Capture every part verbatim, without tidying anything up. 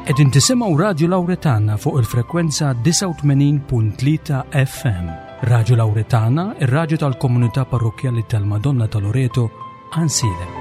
Qegħdin tisimgħu Radio Lauretana fuq il-frekwenza disgħa u tmenin punt tlieta F M. Radio Lauretana, ir-radju tal-komunità parrokkjali tal-Madonna ta' Loreto, Għajnsielem.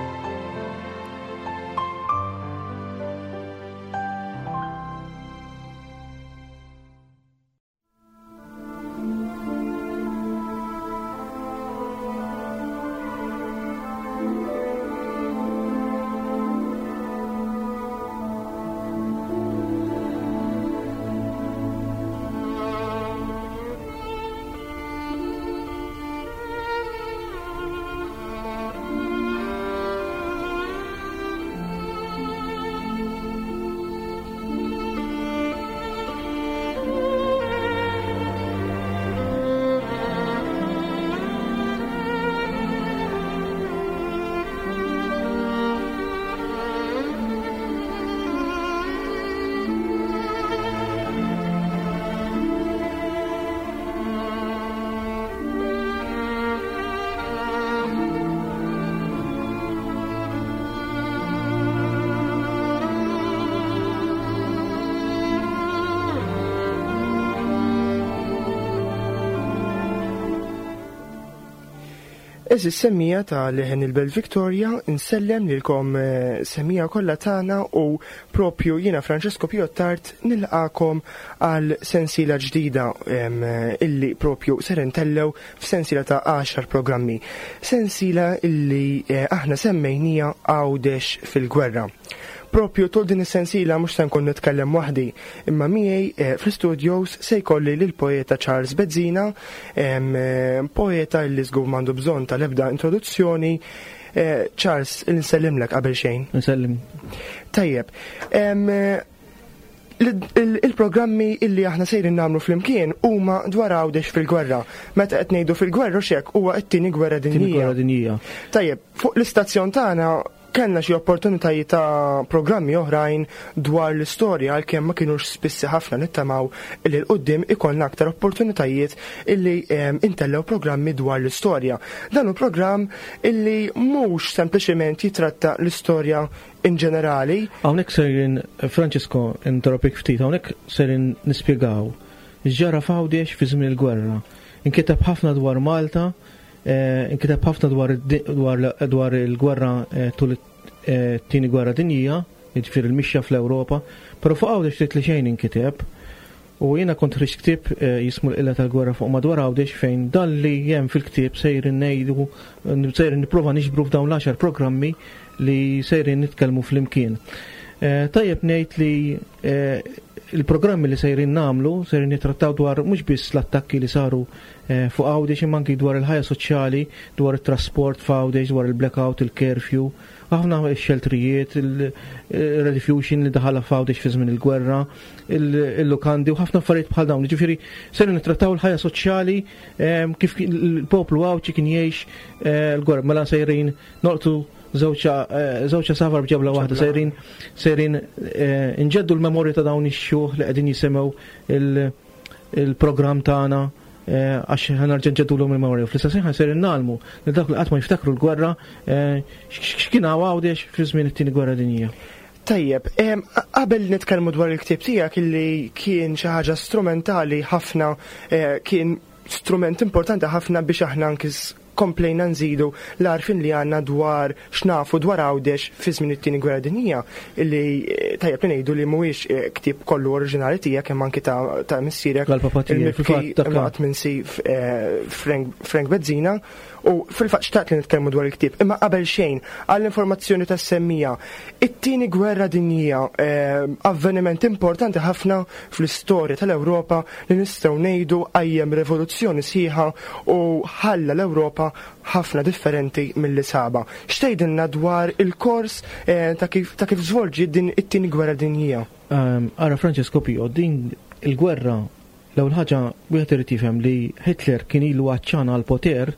Eżis semmija ta' Leħen il-Belt Victoria, insellem lilkom, eh, semmija kollha tagħna u propju jiena Francesco Pio Attard nilqakom għal sensiela ġdida, em, illi propju ser intellew f'sensiela ta' għaxar programmi. Sensiela illi, eh, aħna semmejnija Għawdex fil-gwerra. Propju tul din is-sensiela mhux se nkun nitkellem waħdi, imma miegħi, eh, fl-studios se jkolli lil poeta Charles Bezzina, em, eh, poeta li żgur m'għandu bżonn tal-ebda introduzzjoni. Eh, Charles, insellimlek qabel xejn. Nsellim. Tajjeb. Em, eh, l-, il-, il-programmi illi aħna sejrin nagħmlu flimkien huma dwar Għawdex fil-gwerra. Meta qed ngħidu fil-gwerra x'hekk huwa t-tieni gwerra Tieni dinjija. gwerra dinjija. Tajjeb, fuq l-istazzjon tagħna kellna xi opportunitajiet ta' programmi oħrajn dwar l-istorja għalkemm ma kinux spissi ħafna, nittamaw li 'l quddiem ikollna aktar opportunitajiet illi, ehm, intellew programmi dwar l-istorja. Dan hu programm illi mhux sempliċement jitratta l-istorja in ġenerali. Hawnhekk sejrin, Francesco, interrompik ftit, hawnhekk sejrin nispjegaw x'ġara f'Għawdex fi żmien il-gwerra. Inkiteb ħafna dwar Malta, eh, inkiteb ħafna dwar id-di-, dwar l-, dwar il-gwerra, eh, tul it-, eh, it-tieni gwerra dinjija, jiġifieri l-mixja fl-Ewropa, però fuq Għawdex ftit li xejn inkiteb. U jiena kont ħriġt ktieb, eh, jismu l-qilla tal-gwerra fuq madwar Għawdex, fejn dan li hemm fil-ktieb sejrin ngħidu, sejrin nipprova niġbru f'dawn l-għaxar programmi li sejrin nitkellmu flimkien. Eh, tajjeb ngħid li, eh, il-programmi li sejrin nagħmlu sejrin nittrattaw dwar mhux biss l-attakki li saru, eh, fuq Għawdex, imma anki dwar il-ħajja soċjali, dwar it-trasport f'Għawdex, dwar il-blackout, il-curfew, ħafna x-xeltrijiet, il-rediffusion li daħala f'Għawdex fi żmien il-gwerra, il-, il-lukandi u ħafna affarijiet bħal dawn. Ġifieri sejrin nittrattaw il-ħajja soċjali, ehm, kif kien il-poplu Għawdxi kien jgħix, eh, l-gwerra. Mela sejrin noqtu żewġ, eh, żewġ safar b'ġebla waħda, Ġebla. sejrin, sejrin, eh, nġeddu l-memorja ta' dawn ix-xjuħ li qegħdin jisimgħu il-, il-programm tagħna, eh, għax ħa nerġa' nġeddulhom il-memorja. Fl-istess ħin sejrin nagħlmu li dak li qatt ma jiftakru l-gwerra, eh, x-, x'kien hawn Għawdex fi żmien it-tieni gwerra dinjija. Tajjeb, em, a-, qabel nitkellmu dwar il-ktieb tiegħek illi kien xi ħaġa strumentali ħafna, eh, kien strument importanti ħafna biex aħna anki s-, komplejna nżidu l-għarfien li għandna dwar x'nafu dwar Għawdex fi żmien it-tieni gwerra dinjija, illi, eh, tajjeb li ngħidu li mhuwiex, eh, ktieb kollu oriġinali tiegħek, hemm anki ta', ta' missierek, Għal-papa tiegħek, il-mibki fil-fatt, dak imma qatt minsi f-, eh, Frank, Frank Bezzina, u fil-fatt xtaqt li nitkellmu dwar il-ktieb. Imma qabel xejn, għall-informazzjoni tas-semmija, it-tieni gwerra dinjija, eh, avveniment importanti ħafna fl-istorja tal-Ewropa li nistgħu ngħidu qajjem rivoluzzjoni sħiħa u ħalla l-Ewropa ħafna differenti mill-li saba. X'tgħidilna dwar il-kors, eh, ta' kif, ta' kif żvolġi din it-tieni gwerra dinjija? Ehm, ara Francesco Pio, din il-gwerra l-ewwel ħaġa wieħed irid jifhem li Hitler kien ilu għaċċan għall-poter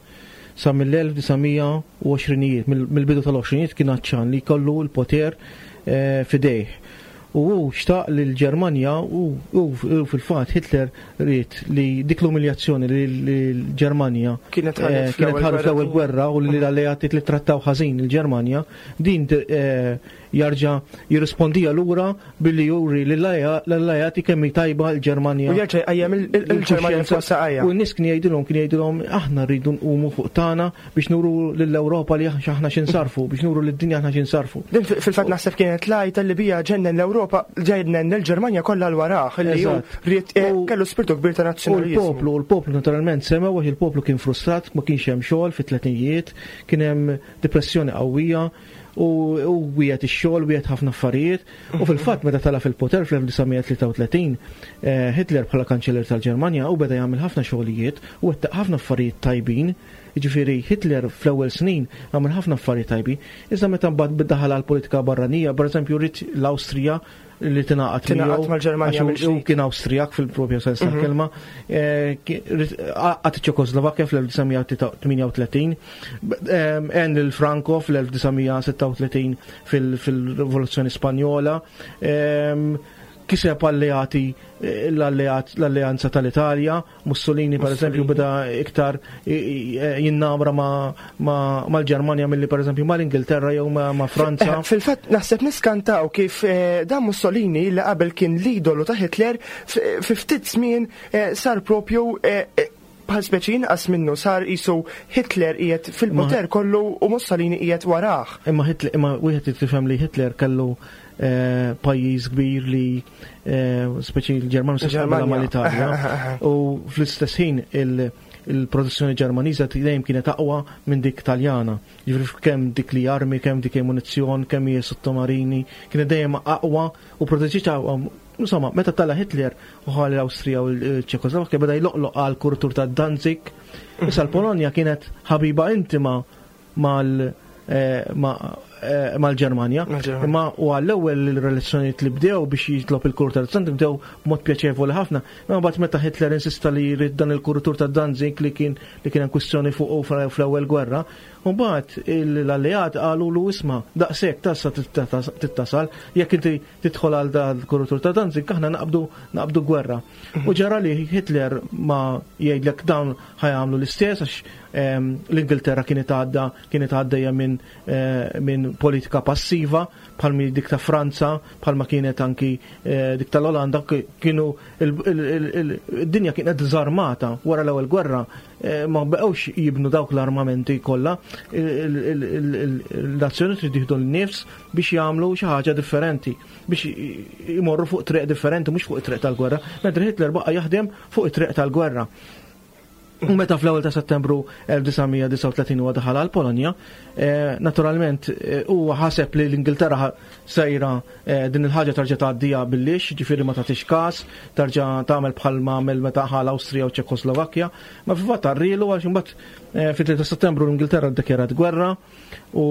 sa mill-elf disa' mija u għoxrinijiet, mill-, mill-bidu tal-għoxrinijiet kien għaċċan li jkollu l-poter, eh, f'idejh. U hu xtaq li l-Ġermanja, u, u, u fil-fatt Hitler ried li dik l-umiljazzjoni li l-Ġermanja Kienet ħadet eh, fl-ewwel kienet ħadet fl-ewwel gwerra. gwerra u li l-alleati li trattaw ħażin il-Ġermanja, din, eh, jarġa' jirrispondija lura billi juri lill-alleati kemm hi tajba l-Ġermanja. U jerġa' jqajjem il-Ġermanja fuq saqajja. U n-nies kien jgħidilhom kien jgħidilhom aħna rridu nqumu fuq tagħna biex nuru lill-Ewropa li aħna x'insarfu, biex nuru lid-dinja aħna x'insarfu. Din fil-fatt naħseb kienet l-għajta li bija ġennen l-Ewropa, ġennen l-Ġermanja kollha l warah li hu ried kellu spirtu kbir ta' nazzjonaliżmu. U l-poplu, l-poplu naturalment semgħu għax il-poplu kien frustrat, ma kienx hemm xogħol fit-tletinijiet, kien hemm depressjoni qawwija u wiegħed ix-xogħol, wiegħed ħafna affarijiet. U fil-fatt meta tala fil-poter fl-elf disa' mija tlieta u tletin, Hitler bħala kanċellier tal-Ġermanja u beda jagħmel ħafna xogħlijiet u wettaq ħafna affarijiet tajbin. Jiġifieri Hitler fl-ewwel snin għamel ħafna affarijiet tajbin. Iżda meta mbagħad daħal għall politika barranija, pereżempju ried l-Awstrija li tingħaqad Tingħaqad miegħu, mal-Ġermanja għax hu mill-ġdid. kien Awstrijak fil-propja sens tal-kelma, eh, ki-, rid-, għaqad iċ-Ċekoslovakkja fl-elf disa' mija tmienja u tletin, ehm, għen lil Franco fl-elf disa' mija sitta u tletin fil-, fil-Rivoluzzjoni Spanjola, ehm, kiseb alleati, eh, l-alleat, l-alleanza tal-Italja, Mussolini per eżempju Mussolini. beda iktar i-, i-, jinnamra ma-, ma-, mal-Ġermanja milli per eżempju mal-Ingilterra jew ma-, ma' Franza. Eh, fil-fatt naħseb niskantaw kif, eh, dan Mussolini li qabel kien l-idolu ta' Hitler f-, fi ftit żmien, eh, sar propju, eh, eh, bħal speċi inqas minnu, sar isu Hitler qiegħed fil-poter Ma- kollu u Mussolini qiegħed warah. Imma Hitler, imma wieħed tifhem li Hitler kellu, eh, pajjiż kbir li, eh, speċi l-Ġermanja se Ġermanja. mal-Italja. U fl-istess ħin il-, il-produzzjoni Ġermaniża dejjem kienet aqwa minn dik Taljana. Jiġifieri kemm dik li armi, kemm dik munizzjon, kemm hija sottomarini, kienet dejjem aqwa u proteġiet aqwa. Insomma, meta tala Hitler u ħalli l-Awstrija u l-Ċekoslovakkja beda jloqloq għal kuritur ta' Danzig. Issa l-Polonja kienet ħabiba intima mal-, eh, ma-, eh, mal-Ġermanja. Mal-Ġermanja. Imma u għall-ewwel il-relazzjonijiet li bdew biex jitlob il-kuritur ta' Danzig bdew b'mod pjaċevoli ħafna. Imma mbagħad meta Hitler insista li jrid dan il-kuritur ta' Danzig li kien, li kien hemm kwistjoni fuq u fl-ewwel gwerra, u mbagħad l-alleat qalu lu isma' daqshekk tassa tittasal, jekk inti tidħol għal dan il-kuritur ta' Danzig aħna naqbdu, naqbdu gwerra. U ġara li Hitler ma jgħidlek dawn ħajamlu l-istess għax, ehm, l-Ingilterra kienet għadda, kienet għaddejja minn, eh, minn politika passiva bħal mi dik ta' Franza, bħalma kienet anki, eh, dik tal-Olanda, ki-, kienu il-, il-, il-, il-, id-dinja kienet dizarmata wara l-ewwel gwerra, eh, ma baqgħux jibnu dawk l-armamenti kollha, il-, il-, il-, il-, il-nazzjoni trid jieħdu l-nifs biex jagħmlu xi ħaġa differenti, biex i-, imorru fuq triq differenti, mhux fuq it-triq tal-gwerra, mentri Hitler baqa' jaħdem fuq it-triq tal-gwerra. U meta fl-ewwel ta' Settembru elf disa' mija disgħa u tletin huwa daħal għal Polonja, eh, naturalment, eh, huwa ħaseb li l-Ingilterra ħa-, sejra, eh, din il-ħaġa tarġa' tgħaddija billix, ġifieri ma tagħtix każ, tarġa' tagħmel bħal ma għamel meta ħa l-Awstrija u Ċekoslovakkja, ma fil-fatt arrielu għax imbagħad, eh, fit-tlieta ta' Settembru l-Ingilterra ddikjarat gwerra u,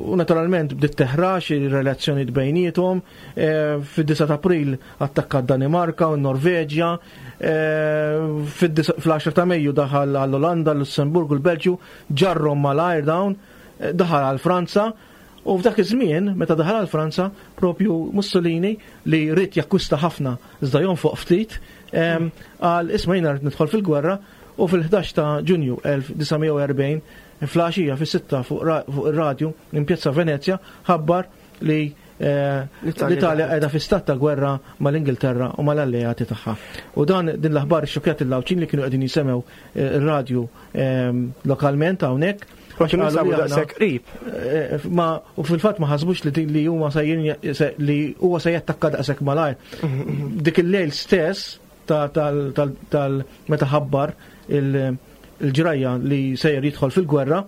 u naturalment bdiet teħrax ir-relazzjonijiet bejniethom, eh, fid-disa ta' April attakka d-Danimarka u n-Norveġja, eh, fid-disa-, fl-għaxra ta' Mejju daħal għall-Olanda, l-Lussemburgu, l-Belġju, ġarrom mal-ajr dawn, eh, daħal għal Franza, u f'dak iż-żmien, meta daħal għal Franza, propju Mussolini li ried jakkwista ħafna iżda jonfoq ftit, ehm, qal isma' jiena rrid nidħol fil-gwerra, u fil-ħdax ta' Ġunju elf disa' mija u erbgħin, fl-għaxija fis-sitta fuq ra-, fuq ir-radju minn Pjazza Venezja ħabbar li, eh, L-Italja l-Italja daħlet. qiegħda fi stat ta' gwerra mal-Ingilterra u mal-alleati tagħha. U dan din l-aħbar xokjat il-Lawċin li kienu qegħdin jisemgħu, eh, ir-radju, ehm, lokalment hawnhekk. Ma kienu Għax qalu sabu li aħna daqshekk qrib. Eh, ma, u fil-fatt ma ħasbux li din li huma sejrin ja-, se-, li huwa se jattakka daqshekk malajr. Dik il-lejl stess ta-, tal-, tal-, tal-, meta ħabbar il-, il-ġrajja li sejjer jidħol fil-gwerra,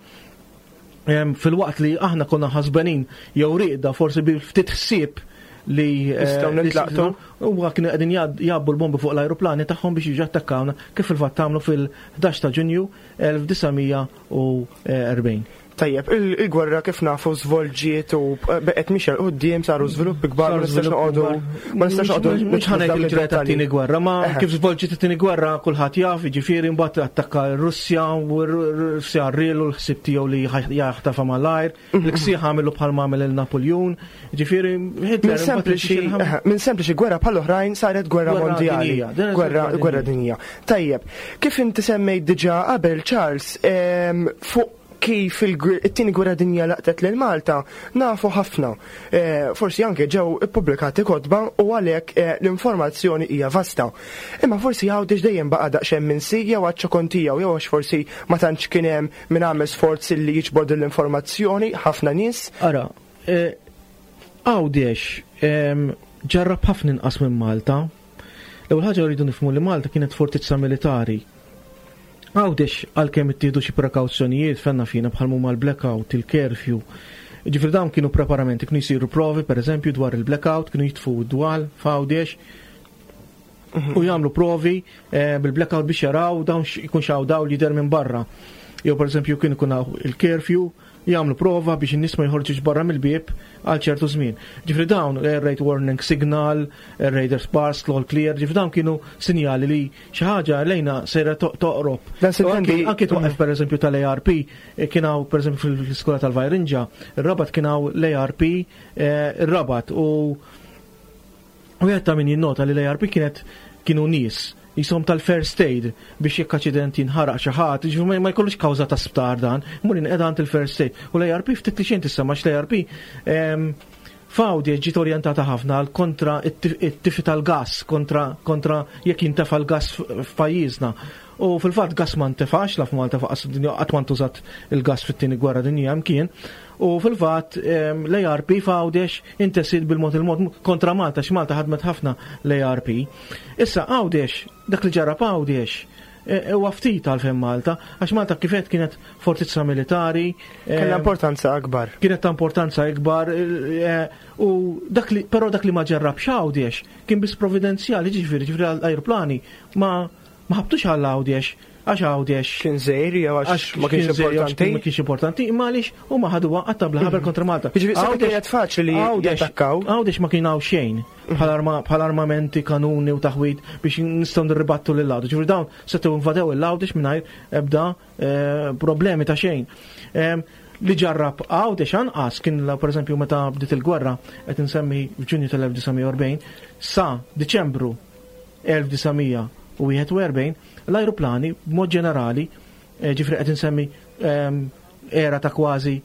em, fil-waqt li aħna konna ħasbenin jew riqda forsi bi ftit ħsieb li, eh, Nistgħu li nintlaqtu. s-, huwa kienu qegħdin jgħad-, jgħabbu l-bombi fuq l-ajruplani tagħhom biex jiġu attakkawna kif fil-fatt għamlu fil-ħdax ta' Ġunju elf disa' mija u erbgħin. Tajjeb, il-, il-gwerra kif nafu żvolġiet u beqgħet mixja 'l quddiem, saru żviluppi kbar, ma Saru nistax żviluppi noqogħdu kbar. ma nistax noqogħdu Mhux nidħlu ħanejt f'dawk il-ġrajja id-dettalji. tat-tieni gwerra, ma Eħe. kif żvolġiet it-tieni gwerra kulħadd jaf, jiġifieri mbagħad attakka r-Russja u r-Russja rrielu l-ħsieb tiegħu li ħa-, jaħtafa malajr, Mhm. l-ksieħ għamilu bħal ma għamel il-Napoleon, jiġifieri Hitler Minn imbagħad sempliċi, imxi il-ħam- eħe, minn sempliċi gwerra bħal oħrajn saret gwerra Gwerra mondjali. dinjija, din hija Gwerra, gwerra gwerra dinjija. dinjija. Tajjeb, kif inti semmejt diġà qabel, Charles, ehm, fuq kif it-tieni gwerra dinja laqtet lil Malta nafu ħafna. Eh, forsi anke ġew ippubblikati kotba u għalhekk eh, l-informazzjoni hija vasta. Imma forsi Għawdex dejjem baqa' daqsxejn minsi jew għaċ-ċokon tiegħu jew għax forsi ma tantx kien hemm min għamel sforz li jiġbor din l-informazzjoni ħafna nies. Ara, eh, Għawdex ġarrab ħafna inqas minn Malta. L-ewwel ħaġa rridu nifhmu li Malta kienet fortizza militari. Għawdex għalkemm ittieħdu xi prekawzjonijiet fenna fina bħal huma l-blackout, il-curfew. Ġifieri dawn kienu preparamenti, kienu jsiru provi pereżempju dwar il-blackout, kienu jitfu d-dwal f'Għawdex u jagħmlu provi eh, bil-blackout biex jaraw dawn jkun xaw dawl jidher minn barra. Jew pereżempju kien ikun il-curfew, jagħmlu prova biex in-nies ma jħorġux barra mill-bieb għal ċertu żmien. Ġifieri dawn air raid warning signal, air raiders pass, all clear, ġifieri dawn kienu sinjali li xi ħaġa lejna sejra toqrob. Anki twaqef pereżempju tal-A R P, eh, kien hawn pereżempju fil-iskola tal-Vajrinġa, ir-Rabat kien hawn l-A R P eh, ir-Rabat u u ta' min jinnota li l-A R P kienet kienu nies jisom tal-first aid biex jekk aċident jinħaraq xi ħadd, jiġifieri ma jkollux kawża ta' sptar dan, mur inqeda għand il-first aid. U l-A R P ftit li xejn tissemma l-A R P f'Għawdex ġiet orjentata ħafna għal kontra it-tifi tal-gas, kontra kontra jekk jintefa' l-gas f'pajjiżna. U fil-fatt gas ma ntefax la f'Malta faqas dinja qatt ma ntużat il-gas fit-tieni gwerra dinjija mkien. U fil-fatt l-A R P f'Għawdex intesiet bil-mod il-mod kontra Malta, x'Malta ħadmet ħafna l-A R P. Issa Għawdex, dak li ġara f'Għawdex e, huwa ftit għalfejn Malta, għax Malta kifet kienet fortizza militari. Kellha importanza akbar. Kienet ta' importanza ikbar e, u dak li però dak li ma ġarrabx Għawdex kien biss provvidenzjali, ġifieri ġifieri l-ajruplani ma ma ħabtux għal Għawdex għax Għawdex kien żgħir jew għax ma kienx importanti. Ma kienx importanti, imma għaliex huma ħaduha qatta bla ħabel kontra Malta. Ġifieri kienet faċli li jattakkaw. Għawdex ma kien hawn xejn bħal armamenti, kanuni u taħwid biex nistgħu nirribattu lil Għawdex. Ġifieri dawn setgħu invadew il-Għawdex mingħajr ebda eh, problemi ta' xejn. Li ġarrab Għawdex anqas kien per eżempju meta bdiet il-gwerra, qed insemmi f'Ġunju tal-elf disa' mija u erbgħin sa Diċembru elf disa' mija u wieħed u erbgħin, l-ajruplani b'mod ġenerali, eh, ġifieri qed insemmi ehm, era ta' kważi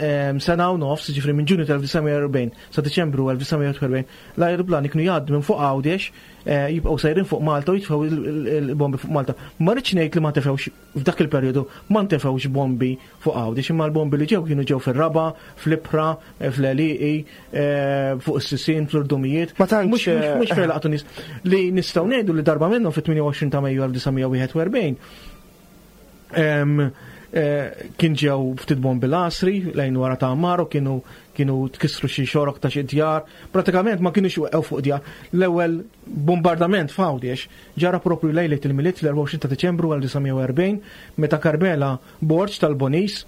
ehm, sena u nofs, ġifieri minn Ġunju tal-elf disa' mija u erbgħin sa Diċembru elf disa' mija u erbgħin, l-ajruplani kienu jgħaddu minn fuq Għawdex, eh, jibqgħu sejrin fuq Malta u jitfgħu il-bombi fuq Malta. Ma rridx ngħid li ma tefgħux f'dak il-perjodu, ma ntefgħux bombi fuq Għawdex, imma l-bombi li ġew kienu ġew fir-raba, fl-ibħra, eh, fl-għelieqi, fuq is-sisien, fl-irdumijiet. Ma tantx. Mhux fejn laqtu nies. Li nistgħu ngħidu li darba minnhom fit-tmienja u għoxrin ta' Mejju elf disa' mija u wieħed u erbgħin Eh, kien ġew ftit bombi l-Għasri lejn wara ta' Amaro, kienu kienu tkissru xi xorok ta' xi djar, pratikament ma kienux weqgħu fuq djar. L-ewwel bombardament f'Għawdex ġara propju lejlet il-Milied fl-erbgħa u għoxrin ta' Diċembru elf disa' mija u erbgħin meta Carmela Borg tal-Bonis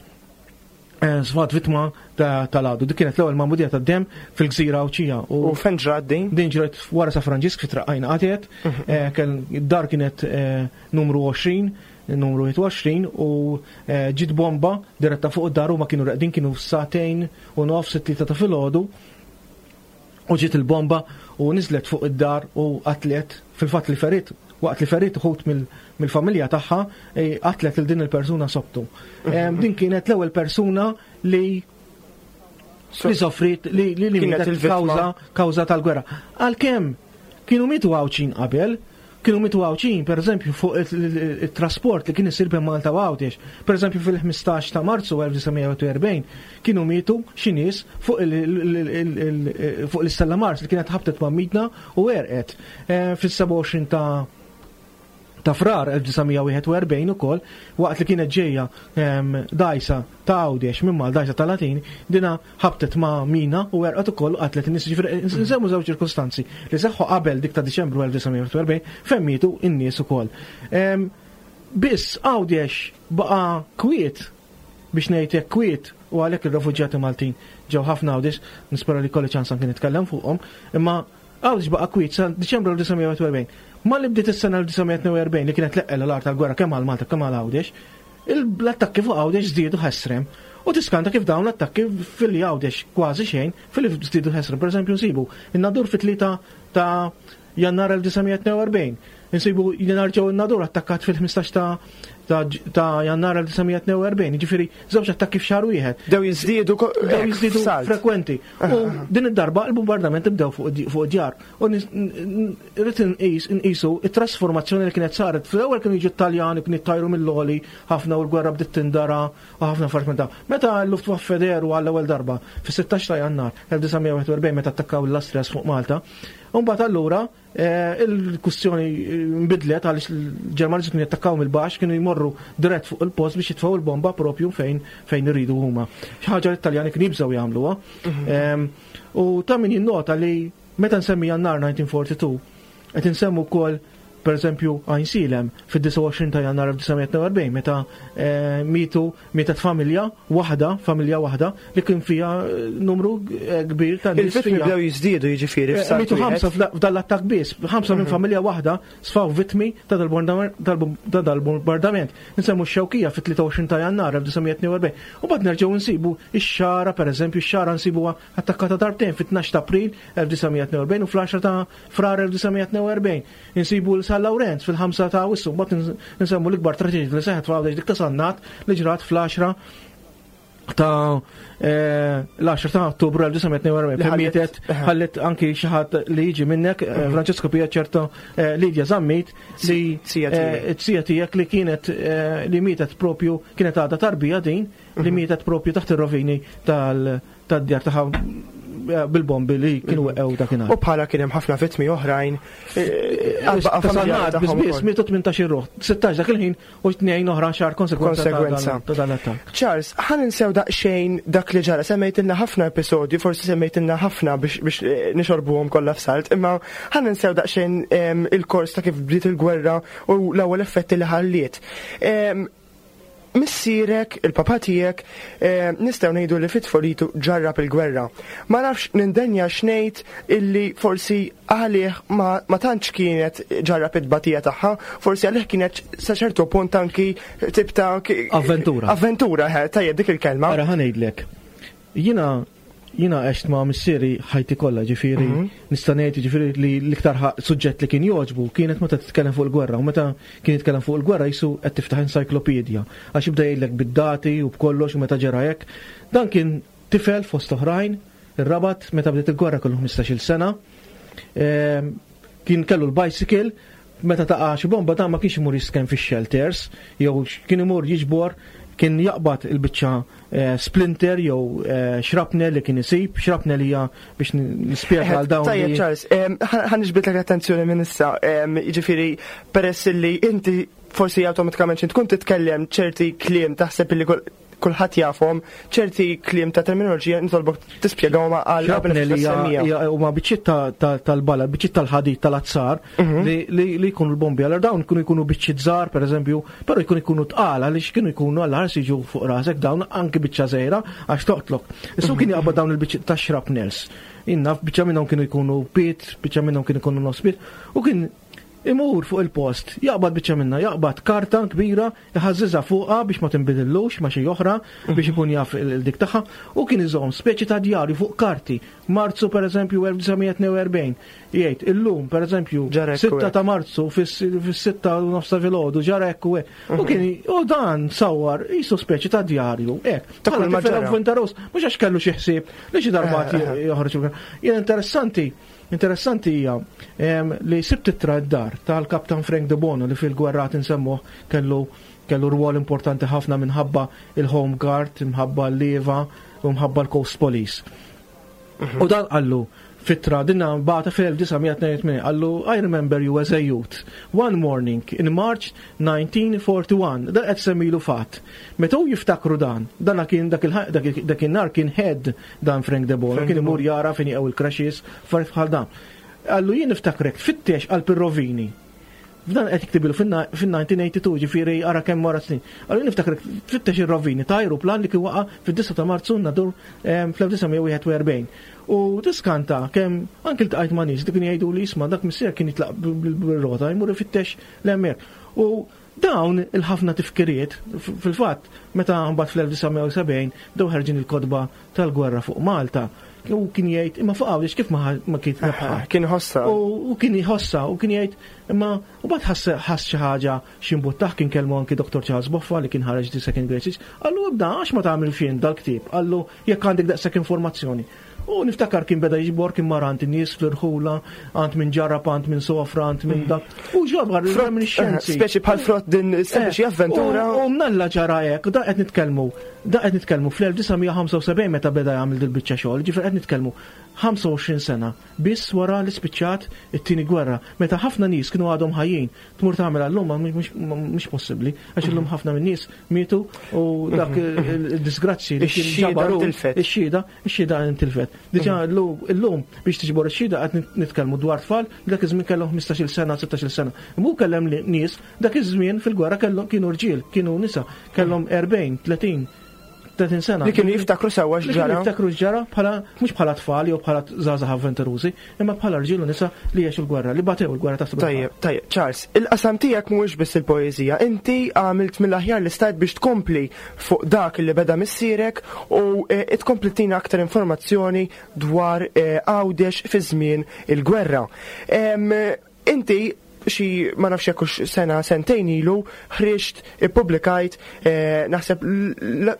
eh, sfat vittma tal-għadu. Dik kienet l-ewwel magħmudija tad-dem fil-gżira Għawdxija. U fejn ġrat din? Din ġrat wara San Franġisk fi Traqqajna Qatet. Mhm. Eh, dar kienet numru għoxrin, numru wieħed u għoxrin, u eh, ġiet bomba diretta fuq id-dar u ma kienu reqdin, kienu sagħtejn u nofs, it-tlieta ta' filgħodu, u ġiet il-bomba u niżlet fuq id-dar u qatlet, fil-fatt li ferit, waqt li ferit uħut mill-familja tagħha, eh, qatlet il din il-persuna sobtu. Mhm. Din kienet l-ewwel persuna li li soffrit li li li kienet kawża kawża tal-gwerra. Għalkemm kienu mitu Għawdxin qabel, kienu mitu Għawdxin, per eżempju, fuq il-trasport li kien isir bejn Malta u Għawdex. Per eżempju, fil-ħmistax ta' Marzu elf disa' mija u erbgħin kienu mietu xi nies fuq l-Istella Mars li kienet ħabtet ma' mina u għerqet. Eh, fis-sebgħa u għoxrin ta' ta' Frar elf disa' mija u wieħed u erbgħin ukoll, waqt li kienet ġejja dgħajsa ta' Għawdex minn mal dgħajsa ta' Latin, dina ħabtet ma' mina u għerqet ukoll u qatlet in-nies. Ġifieri nsemmu żewġ ċirkostanzi li seħħu qabel dik ta' Diċembru elf disa' mija u erbgħin fejn mietu in-nies ukoll. Biss Għawdex baqa' kwiet, biex ngħid hekk kwiet, u għalhekk ir-refuġjati Maltin ġew ħafna Għawdex, nispera li kolli ċans anke nitkellem fuqhom, imma Għawdex baqa' kwiet sa Diċembru elf disa' mija u erbgħin. Ma li bdiet is-sena elf disa' mija u tnejn u erbgħin li kienet l-eqqel l-art tal-gwerra kemm għal Malta kemm għal Għawdex, l-attakki fuq Għawdex żdiedu ħesrem. U tiskanta kif dawn l-attakki fil-li Għawdex kważi xejn, fil-li żdiedu ħesrem. Per eżempju nsibu in-Nadur fit-tlieta ta' Jannar elf disa' mija u tnejn u erbgħin. Insibu Jannar ġew in-Nadur attakkat fil-ħmistax ta' ta' Jannar elf disa' mija tnejn u erbgħin, ġifieri żewġ attakki f'xahar wieħed. Bdew jiżdiedu Bdew jiżdiedu frekwenti. U din id-darba il-bombardament bdew fuq djar. U rrid nqisu it-trasformazzjoni li kienet saret. Fl-ewwel kienu jiġu Taljani, kienu jittajru mill-għoli ħafna u l-gwerra bdiet tindara u ħafna affarijiet minn dawn. Meta l-Luftwaffe dehru għall-ewwel darba fis-sittax ta' Jannar elf disa' mija wieħed u erbgħin, meta attakkaw l-Astrias fuq Malta, mbagħad allura eh, il-kwistjoni nbidlet għaliex il-Ġermaniżi kienu jattakkaw mill-baxx, kienu jmorru dirett fuq il-post biex jitfgħu il-bomba propju fejn fejn iridu huma. Xi ħaġa li t-Taljani kienu jibżgħu jagħmluha. Em, U ta' min jinnota li meta nsemmi Jannar elf disa' mija tnejn u erbgħin qed insemmu wkoll, per eżempju, Għajnsielem fid-disgħa u għoxrin ta' Jannar elf disa' mija tnejn u erbgħin, meta eh, mitu mietet familja waħda, familja waħda li kien fiha eh, numru eh, kbir ta' nies Il-vittmi fiha. bdew jiżdiedu, jiġifieri, Eh, f'salt Mitu wieħed. ħamsa f'da- f'dan l-attak biss, ħamsa minn familja waħda sfaw vittmi ta' dal-bombardament. Dal-bombardament. Nsemmu x-Xewkija fit-tlieta u għoxrin ta' Jannar elf disa' mija tnejn u erbgħin. U mbagħad nerġgħu nsibu ix-Xagħra, pereżempju, ix-Xagħra nsibuha attakkata darbtejn, fit-tnax ta' April elf disa' mija tnejn u erbgħin u fl-għaxra ta' Frar elf disa' mija tnejn u erbgħin. Insibu l-San Lawrenz fil-ħamsa ta' Awwissu, mbagħad nsemmu l-ikbar traġedja li seħħet f'Għawdex, dik ta' Sannat li ġrat fl-għaxra ta' eh, l-għaxra ta' Ottubru elf disa' mija tnejn u erbgħin. Li ħallet- Mietet, ħallet anki xi ħadd li jiġi minnek, eh, Francesco Pia ċerto, eh, Lidia Zammit, li Sija tiegħek. eh, sija tiegħek li kienet eh, li mietet propju, kienet għadha tarbija din, li mietet propju taħt ir-rovini tal-djar tagħha eh, bil-bombi li kienu weqgħu dakinhar. U bħala kien hemm ħafna vittmi oħrajn. eh, għal-baqa Ta' familjari Sannat, tagħhom biss biss ukoll. mietu tmintax ruħ, sittax dak il-ħin u tnejn oħra xar konsegwenza ta' dan- Konsegwenza. ta' dan l-attakk. Charles, ħa ninsew daqsxejn dak li ġara, semmejtilna ħafna episodji, forsi semmejtilna ħafna biex, biex eh, nixorbuhom kollha f'salt, imma ħa ninsew daqsxejn em, il-kors ta' kif bdiet il-gwerra u l-ewwel effetti li ħalliet. Em, Missierek, il-papa tiegħek, eh, nistgħu ngħidu li fit-tfulitu ġarrab il-gwerra. Ma nafx nindenja x'ngħid illi forsi għalih ma, ma tantx kienet ġarrab it-tbatija tagħha, forsi għalih kienet sa ċertu punt anki tip ta' ki- Avventura. Avventura, eh, tajjeb dik il-kelma. Ara, ħa ngħidlek. Jiena jiena għext ma' missieri ħajti kollha, ġifieri nista' ngħid ġifieri li l-iktar ħa- suġġett li kien jogħġbu kienet meta titkellem fuq il-gwerra, u meta kien jitkellem fuq il-gwerra jisu qed tiftaħ encyclopedia għax jibda jgħidlek bid-dati u b'kollox u meta ġara hekk. Dan kien tifel fost oħrajn, ir-Rabat, meta bdiet il-gwerra kellu ħmistax-il sena. Ehm, Kien kellu l-bicycle, meta taqa' xi bomba dan ma kienx imur jisken fix-shelters, jew kien imur jiġbor, kien jaqbad il-biċċa eh, splinter jew eh, shrapnel li kien isib, shrapnel hija, biex nispjega għal dawn Tajjeb, li- Charles, em, ħa ħa niġbidlek l-attenzjoni minn issa, em, jiġifieri peress li inti forsi awtomatikament xi tkun titkellem ċerti kliem taħseb li kull- kulħadd jafhom, ċerti kliem ta' terminoloġija nitolbok tispjegahom għal Shrapnel hija semmija. hija- huma biċċiet ta- ta- tal-bala, biċċiet tal-ħadid tal-azzar li li li jkunu l-bombi. Allora dawn kienu jkunu biċċiet żgħar, pereżempju, però jkunu jkunu tqal għaliex kienu jkunu għall ħars jiġu fuq rasek dawn, anki biċċa żgħira għax toqtlok. Issu kien jaqbad dawn il-biċċiet ta' shrapnels. Inna biċċa minnhom kienu jkunu pied, biċċa minnhom kienu jkunu nofs pied, u kien imur fuq il-post, jaqbad biċċa minna, jaqbad karta kbira, jħażżiżha fuqha biex ma tinbidillux ma xi oħra, biex ikun jaf il-dik tagħha, u kien iżomm speċi ta' djarju fuq karti. Marzu, pereżempju, elf disa' mija tnejn u erbgħin, jgħid illum, pereżempju, Ġara hekk u sitta hekk. ta' Marzu fis-sitta u nofsa filgħodu ġara hekk u hekk. U kien u dan sawar jisu speċi ta' djarju, hekk. Ta' kull Bħala ma tifel ġara. avventuroż, mhux għax kellu xi ħsieb li xi darba Eh, eh. joħroġ. Jien interessanti Interessanti hija em, li sibt ittra d-dar tal-Kaptan Frank De Bono li fil-gwerra nsemmuh kellu kellu rwol importanti ħafna minħabba il-Home Guard, minħabba l-Leva u minħabba l-Coast Police. U dan qallu f'ittra dinna bagħatha fil-elf disa' mija tnejn u tmenin, qallu, "I remember you as a youth. One morning in March nineteen forty-one" Dan qed semmilu fatt. Meta hu jiftakru dan, dana kien dak il- dak dak in-nar kien head dan Frank De Bono, Frank kien De imur Bono. jara fejn jaqgħu il-crashes, affarijiet bħal dan. Qallu, "Jien niftakrek fittex qalb ir-rovini." F'dan qed jiktibilu fin-elf disa' mija tnejn u tmenin, ġifieri ara kemm wara snin. Qallu, "Niftakrek tfittex ir-rovini ta' ajruplan li kien waqa' fid-disgħa ta' Marzu Nadur fl-elf disa' mija wieħed u erbgħin" U tiskanta kemm anke ltqajt ma' nies li kienu jgħidu li isma' dak missier kien jitlaq bil-rota jmur ifittex l-hemmhekk. U dawn il-ħafna tifkiriet, fil-fatt, meta mbagħad fl-elf disa' mija sebgħin bdew ħerġin il-kotba tal-gwerra fuq Malta. U kien jgħid imma fuq Għawdex kif ma ma kien rebħa. Kien ħossa. U kien jħossa u kien jgħid imma u bad ħass ħass xi ħaġa xi kien kellmu anki Dottor Charles Boffa li kien ħareġ The Second Great Siege. Qallu ibda għax ma tagħmel fien dal-ktieb, qallu jekk għandek daqshekk informazzjoni. U niftakar kien beda jiġbor, kien mar għand in-nies fl-irħula, għand min ġarrab, għand min sofra, għand minn dak. U ġabar minn xjenzi. Speċi bħal frott din sempliċi avventura. U mnalla ġara hekk, da qed nitkellmu, da qed nitkellmu fl-elf disa' mija u ħamsa u sebgħin meta beda jagħmel dil-biċċa xogħol, ġifier qed nitkellmu ħamsa u għoxrin sena biss wara li spiċċat it-tieni gwerra, meta ħafna nies kienu għadhom ħajjin. Tmur tagħmel għallum mhux possibbli, għax illum ħafna minn nies mietu u dak il-disgrazzi li kien ġabaru. Ix-xhieda, ix-xhieda intilfet. Diġà illum biex tiġbor ix-xhieda qed nitkellmu dwar tfal li dak iż-żmien kellhom ħmistax-il sena, sittax-il sena. Mu kellem nies dak iż-żmien fil-gwerra kellhom kienu rġiel, kienu nisa, kellhom erbgħin, tletin, tletin sena. Li kienu jiftakru sewwa x'ġara. Jiftakru x'ġara bħala mhux bħala tfal jew bħala żgħażagħ avventurużi, imma bħala rġiel u nisa li għexu l-gwerra, li batew il-gwerra ta' Tajjeb, tajjeb, Charles, il-qasam tiegħek mhuwiex biss il-poeżija, inti għamilt mill-aħjar li stajt biex tkompli fuq dak li beda missierek u eh, tkompli tina aktar informazzjoni dwar eh, Għawdex fi żmien il-gwerra. Inti xi ma nafx jekk sena sentejn ilu ħriġt, ippubblikajt eh, naħseb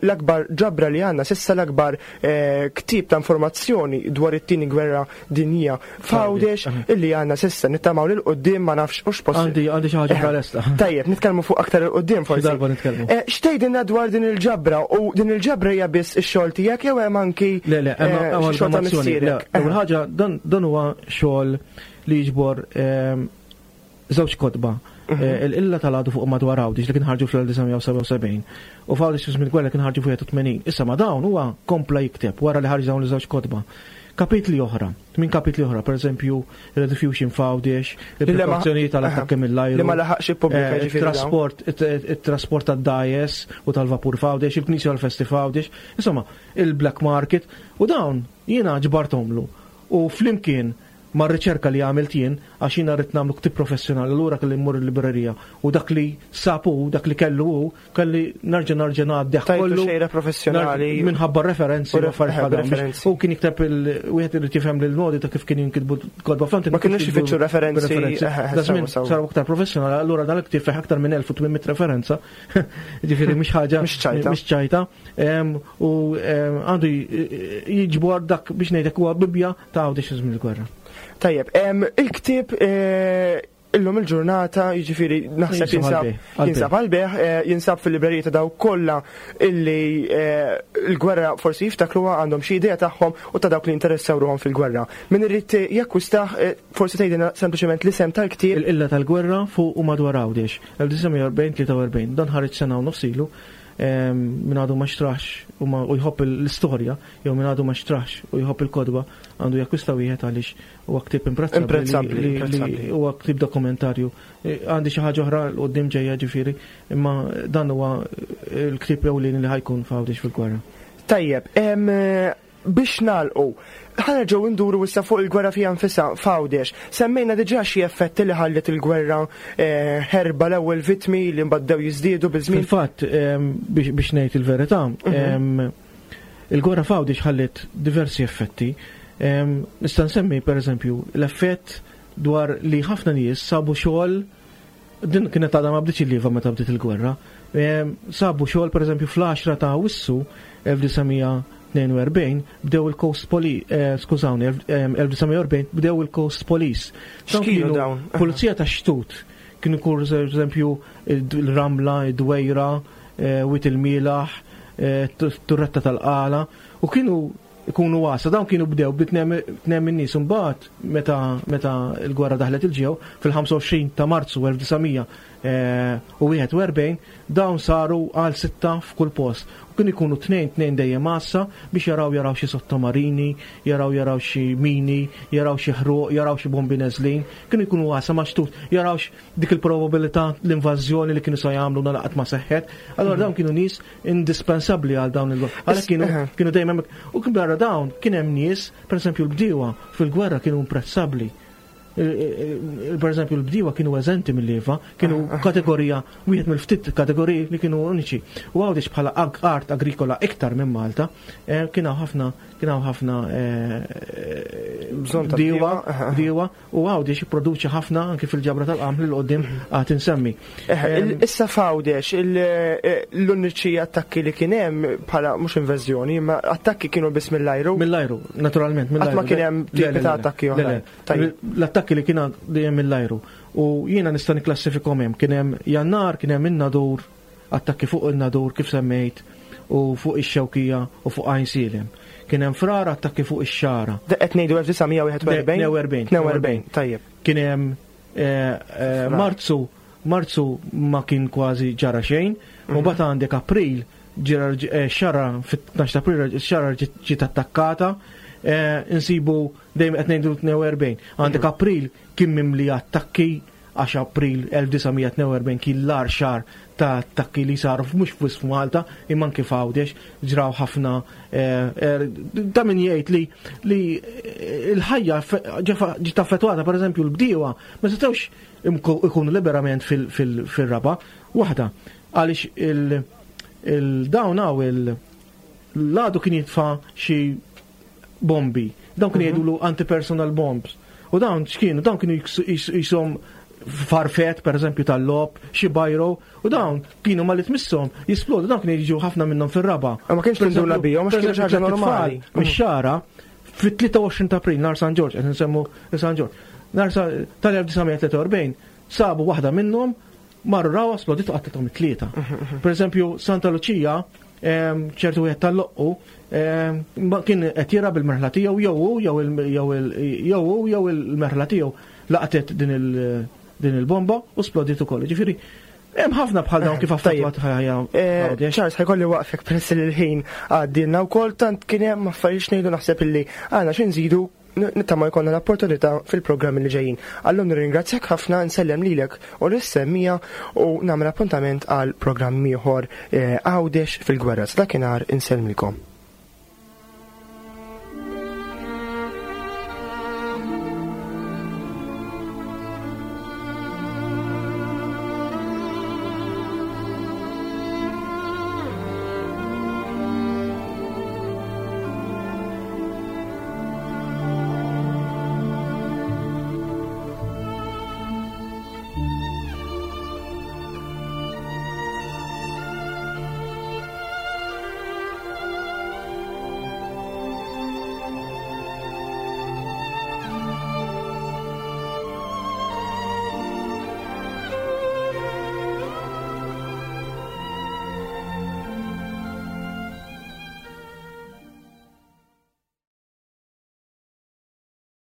l-akbar ġabra li għandna s'issa, l-akbar eh, ktieb ta' informazzjoni dwar it-tieni gwerra dinjija f'Għawdex illi għandna s'issa. Nittamaw lil quddiem, ma nafx hux possibbli. Għandi għandi xi ħaġa bħalesta. Tajjeb, nitkellmu fuq aktar 'il quddiem forsi. Darba nitkellmu. Eh, x'tgħidilna dwar din il-ġabra, u din il-ġabra hija biss ix-xogħol tiegħek jew hemm anki Le, le, hemm xogħol ta' missierek? Ewwel ħaġa, dan huwa xogħol li jiġbor ehm, żewġ kotba. Mhm. Eh, Il-Qilla tal-Għadu fuq madwar Għawdex li kien ħarġu fl-elf disa' mija u sebgħa u sebgħin u f'Għawdex fi żmien gwerra kien ħarġu f'wieħed u tmenin. Issa ma dawn huwa kompla jikteb wara li ħarġ dawn iż-żewġ kotba. Kapitli oħra, minn kapitli oħra, per eżempju, il-rediffusion f'Għawdex, il-preparazzjoni tal-attakki mill-ajru. Li ma laħaqx ippubblika. Eh, il-trasport, il-trasport tad-dgħajjes u tal-vapur f'Għawdex, il-knisja għal-festi f'Għawdex, insomma, il-black market, u dawn jiena ġbartomlu. U flimkien ma' riċerka li għamilt jien, għax jiena rrid nagħmlu ktib professjonali, allura kelli mmur il-librerija u dak li sabu, dak li kellu hu, kelli nerġa' nerġa' ngħaddih kollu. Xejra professjonali. Minħabba referenzi u referenzi. U kien jikteb il-wieħed irid jifhem lil modi ta' kif kien jinkitbu kotba flant. Ma kienux ifittxu referenzi. Da żmien saru aktar professjonali, allura dan il-ktieb fih aktar minn elf u tmien mitt referenza. Ġifieri mhux ħaġa mhux ċajta. U għandu jiġbor dak biex ngħidlek huwa Bibbja ta' Għawdex żmien il-gwerra. Tajjeb, il-ktieb eh, illum il-ġurnata, jiġifieri naħseb jinsab jinsab għall-bejgħ, eh, jinsab fil-librerija ta' dawk kollha illi eh, l-gwerra forsi jiftakruha, għandhom xi idea tagħhom, u ta' dawk li interessaw ruħhom fil-gwerra. Min irid jakkwistah, forsi tgħidilna sempliċement l-isem tal-ktieb. Il-Qilla tal-Gwerra fuq u madwar Għawdex, elf disa' mija u erbgħin tlieta u erbgħin. Dan ħareġ sena u nofs ilu. Min għadu ma xtrax u jħobb l-istorja, jew min għadu ma xtrax u jħobb il-kotba, għandu jakkwista wieħed għaliex huwa ktieb imprezzabbli. Huwa ktieb dokumentarju. E, għandi xi ħaġa oħra 'l quddiem ġejja ġifieri, imma dan huwa l-ktieb ewlieni li ħa jkun f'Għawdex fil-gwerra. Tajjeb, biex nagħlqu, ħa nerġgħu nduru issa fuq il-gwerra fiha nfisha f'Għawdex. Semmejna diġà xi effetti li ħallet il-gwerra, eh, ħerba, l-ewwel vittmi li mbagħad jiżdiedu biż-żmien. Fil-fatt, biex ngħid il-verità, mhm. il-gwerra f'Għawdex ħallet diversi effetti. Nista' nsemmi pereżempju l-effett dwar li ħafna nies sabu xogħol, din kienet għadha ma bdietx il-lieva meta bdiet il-gwerra. Sabu xogħol, pereżempju, fl-għaxra ta' Awwissu elf disa' mija u tnejn u erbgħin bdew il-Coast Police, eh, skużawni, elf disa' mija u erbgħin bdew il-Coast Police. X'kienu dawn? Pulizija ta' xtut. Kienu kur eżempju il-Ramla, id-Dwejra, eh, Wied il-Mielaħ, eh, Turretta tal-Qala, u kienu ikunu għassa, dawn kienu bdew bi tnejn min nies. Imbagħad meta meta l-gwerra daħlet il-ġew fil-ħamsa u għoxrin ta' Marzu elf disa' mija u wieħed u erbgħin, dawn saru għal sitta f'kull post. U kienu ikunu tnejn tnejn dejjem għassa biex jaraw jaraw xi sottomarini, jaraw jaraw xi mini, jaraw xi ħruq, jaraw xi bombi neżlin, kienu jkunu għassa ma' xtut, jaraw dik il-probabilità l-invażjoni li kienu sa jagħmlu nalaqat ma seħħet. Allora dawn kienu nies indispensabbli għal dawn il Għalhekk kienu kienu dejjem. U kien barra dawn kien hemm nies, pereżempju l-bdiewa fil-gwerra kienu imprezzabbli. Per eżempju, l-bdiewa kienu eżenti mill-leva, kienu kategorija, wieħed mill-ftit kategoriji li kienu uniċi. U Għawdex bħala art agrikola iktar minn Malta, eh, kien hawn ħafna kien hawn ħafna eh, Bżonn ta' bdiewa, bdiewa. bdiewa, u Għawdex jipproduċi ħafna anke fil-ġabra tal-qamħ li l-qoddim għad insemmi. Issa f'Għawdex, l-uniċi attakki li kien hemm bħala mhux invażjoni, imma attakki kienu biss mill-ajru. Mill-ajru, naturalment, mill-ajru. Qatt ma kien hemm Le, le, tipi ta' le, attakki le, oħrajn. le. Tajjeb. L-attakki li kien dejjem mill-ajru. U jiena nista' niklassifikhom hemm. Kien hemm Jannar, kien hemm in-Nadur, attakki fuq in-Nadur kif semmejt, u fuq ix-Xewkija u fuq Għajnsielem. Kien hemm Frar attakki fuq ix-Xagħra. Qed ngħidu elf disa' mija wieħed u erbgħin? tnejn u erbgħin. tnejn u erbgħin, tajjeb. Kien hemm eh, eh, Frar. Marzu, Marzu ma kien kważi ġara xejn, u mbagħad għandek April ġara eh, Xagħra fit-tnax ta' April Xagħra ġiet ġiet attakkata, eh, insibu dejjem qed ngħidu tnejn u erbgħin. Għandek April kien mimli attakki għax April elf disa' mija tnejn u erbgħin kien l-agħar xahar ta' attakki li saru mhux biss f'Malta imma anke f'Għawdex ġraw ħafna, eh, eh, ta' min jgħid li li l-ħajja ġiet affettwata. Pereżempju, l-bdiewa ma setgħux ikunu liberament fil-raba' waħda għaliex il-dawn hawn il-għadu kien jitfa' xi bombi. Dawn kienu jgħidulu anti-personal bombs. U dawn x'kienu? Dawn kienu jisom farfet, per eżempju, tal-logħob, xi bajro, u dawn kienu malli tmisshom jisplodu, dawn kienu jiġu ħafna minnhom fir-raba'. Ma kienx tinduna bihom, għax kienu xi ħaġa normali. Mix-Xagħra, fit-tlieta u għoxrin ta' April, nhar San Ġorġ, qed nsemmu San Ġorġ, nhar tal-elf disa' mija tlieta u erbgħin, sabu waħda minnhom, marru rawa, splodiet u qatlithom it-tlieta. Per eżempju, Santa Luċija, ċertu wieħed tal-Loqqu, kien qed jira bil-merħla tiegħu, jew hu jew hu jew il-merħla tiegħu laqtet din il- din il-bomba u splodiet ukoll. Ġifieri, hemm ħafna bħal dawn kif affettwat ħajja. Charles, ħa jkolli nwaqqfek peress li l-ħin għaddilna wkoll, tant kien hemm affarijiet ngħidu, naħseb illi għandna xi nżidu, nittama jkollna l-opportunità fil-programmi li ġejjin. Allum nirringrazzjak ħafna, nsellem lilek u lis-semmiegħa u nagħmel appuntament għal programm ieħor, Għawdex fil-gwerra. Dakinhar insellmilkom.